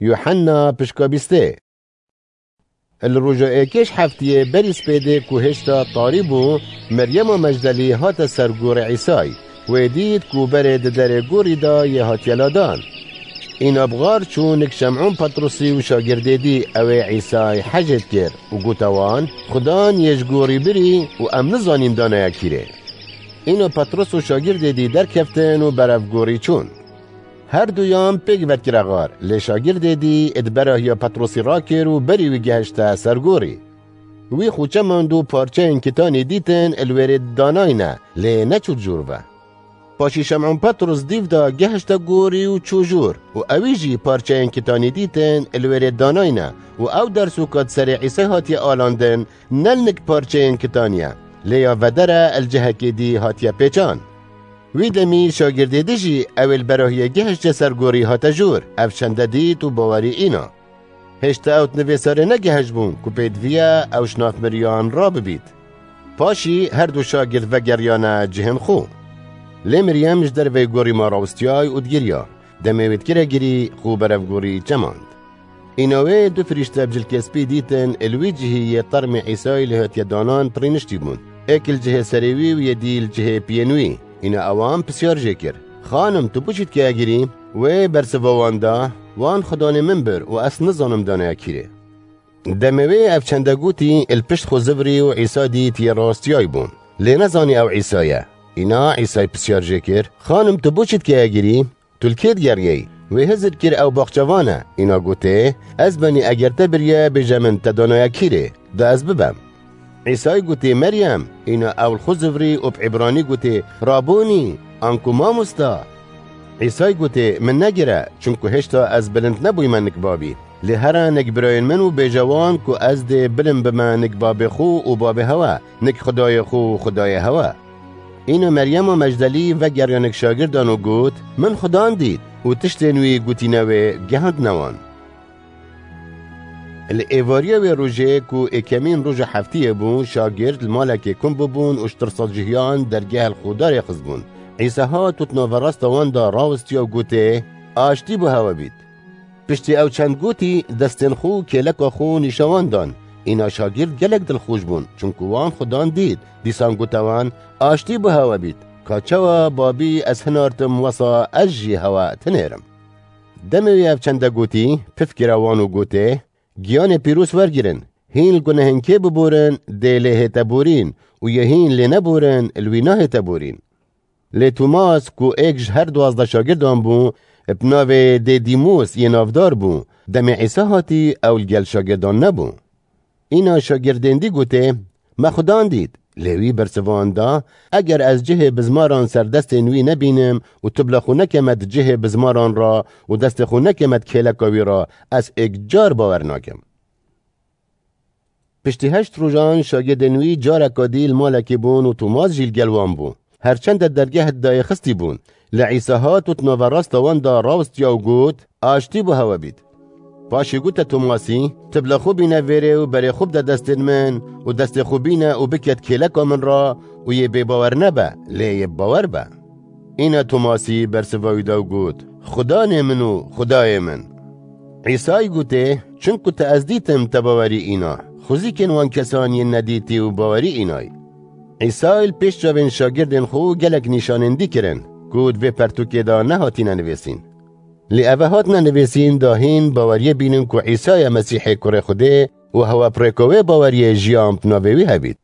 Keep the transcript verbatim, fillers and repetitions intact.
Yuhanna pişka bîstê. Li roja êkê ji heftiyê berî spêdê ku hêşta tarî bû, Meryema Mecdelî hate ser gorî Îsay. Wê dît ku berê di derê gorî de yê hatiye ladan. Îna bi xar çû nik Şem'ûn Petrusî û şagirdê dî ew ê Îsay hejê dikir û gote wan, Xudan yê ji gorî birî û em nizanîn daneye kîrê. Îna Petrus û şagirdê dî derkeftin û berev gorî çûn. Her duyan pêk vekire xar, lê şagirdê dî di berahiya Petrosî rakir û berî wî gehişte ser gorî. Wî xûçe mand û parçeyên kitanî dîtin li wêrê danayne, lê neçû jûr ve. Paşî Şem'ûn Petros dîv de gehişte gorî û çû jûr û ewî jî parçeyên kitanî dîtin li wêrê danayne û ew dersûka di serê Îsay hatiye alandin, ne li nik parçeyên kitaniye, lê ya vedere li cihekê dî hatiye pêçan. Wî demî şagirdê dî jî ew ê li berahiyê gehişte ser gorî hate jûr, ev çende dît û bawerî îna. Hêşta ew di nivê serê negehişt bûn ku pêdiviye ew ji nav miriyan rabibît. Paşî her du şagird vegeriyane cihên xwe. Lê Miryem ji derveyê gorî ma rawistiyay û digiriya. Demê wê dikire girî, xwe berev gorî çemand. Îna wê du firîşte bi cilkê spî dîtin, li wî cihî yê termê Îsayî lê hatiye danan pirîniştî bûn. Êk li cihê serê wî û yê dî li cihê piyên wî. Îna ewan pisyar jê kir, Xanim, tu bo çi dikeye girî? Wê bersiva wan da, Wan Xudanê min bir û ez nizanim daneye kîrê. Demê wê ev çende gotî, li pişt xwe zivirî û Îsa dît yê rastiyay bû. Lê nezanî ew Îsa ye. Îna Îsay pisyar jê kir, Xanim, tu bo çi dikeye girî? Tu li kê digeriyeyî? Wê hizir kir ew baxçevan e. Îna gotê, Ez benî eger te biriye bêje min te danaya kîrê, da ez bibem. Îsay gotê, Meryem! Îna ew li xwe zivirî û bi îbranî gotê, Rabûnî! Anku mamosta! Îsay gotê, Min negire, çimku hêşta ez bilind nebûyme nik babî. Lê here nik birayên min û bêje wan ku ez dê bilind bime nik babê xwe û babê hewe, nik Xwedayê xwe û Xwedayê hewe. Îna Meryema Mecdelî vegeriya nik şagirdan û got, Min Xudan dît û tiştên wî gotîne wê gehand newan. Li êvariya wê rojê ku êkemîn roja heftiyê bû, şagird li malekê kum bûbûn û ji tirsa cihiyan dergeh li xwe darêxistbûn. Îsa hat û di naverasta wan de rawistiya û gotê, Aştî bo hewe bît. Piştî ew çend gotî, destên xwe û kêleka xwe nîşa wan dan. Îna şagird gelek dilxweş bûn, çunku wan Xudan dît. Dîsan gote wan, Aştî bo hewe bît. Ka çawa Babî ez hinartim, wesa ez jî hewe tinêrim. Demê wî ev çende gotî, pif kire wan û gotê, Giyanê pîroz wergirin, hîn li gunehên kê biborin, dê lê hête borîn û yê hîn lê neborin, li wî nahête borîn. Lê Tomas ku êk ji her duwazdeh şagirdan bû, bi navê Dêdîmos yê navdar bû, demê Îsa hatî ew li gel şagirdan nebû. Îna şagirdên dî gotê, Me Xudan dît. Lê wî bersivan da, Eger ez cihê bizmaran ser destên wî nebînim û tu bila xwe nekeme di cihê bizmaran re û destê xwe nekeme di kêleka wî re, ez êk car bawer nakim. Piştî heşt rojan şagirdên wî careka dî li malekê bûn û Tomas jî li gel wan bû. Her çend di dergeh de yê xistî bûn. Lê Îsa hat û di naverasta wan de rawistiya û got, Aştî bo hewe bît. Paşê gote Tomasî, Tu bila xwe bîne vêrê û berê xwe bide destên min û destê xwe bîne û bike di kêleka min re û yê bêbawer nebe, lê yê bawer be. Îna Tomasî bersiva wî da û got, Xudanê min û Xudayê min. Îsay gotê, Çimku te ez dîtim, te bawerî îna. Xwezîkên wan kesan yên nedîtî û bawerî înay. Îsay li pêş çavên şagirdên xwe gelek nîşanên dî kirin, ku di vê pertûkê de nehatîne nivîsîn. Lê eve hatine nivîsîn da hîn baweriyê bînin ku Îsa ye Mesîhê Kurê Xwedê û hewe bi rêka wê baweriyê jiyan bi navê wî hebît.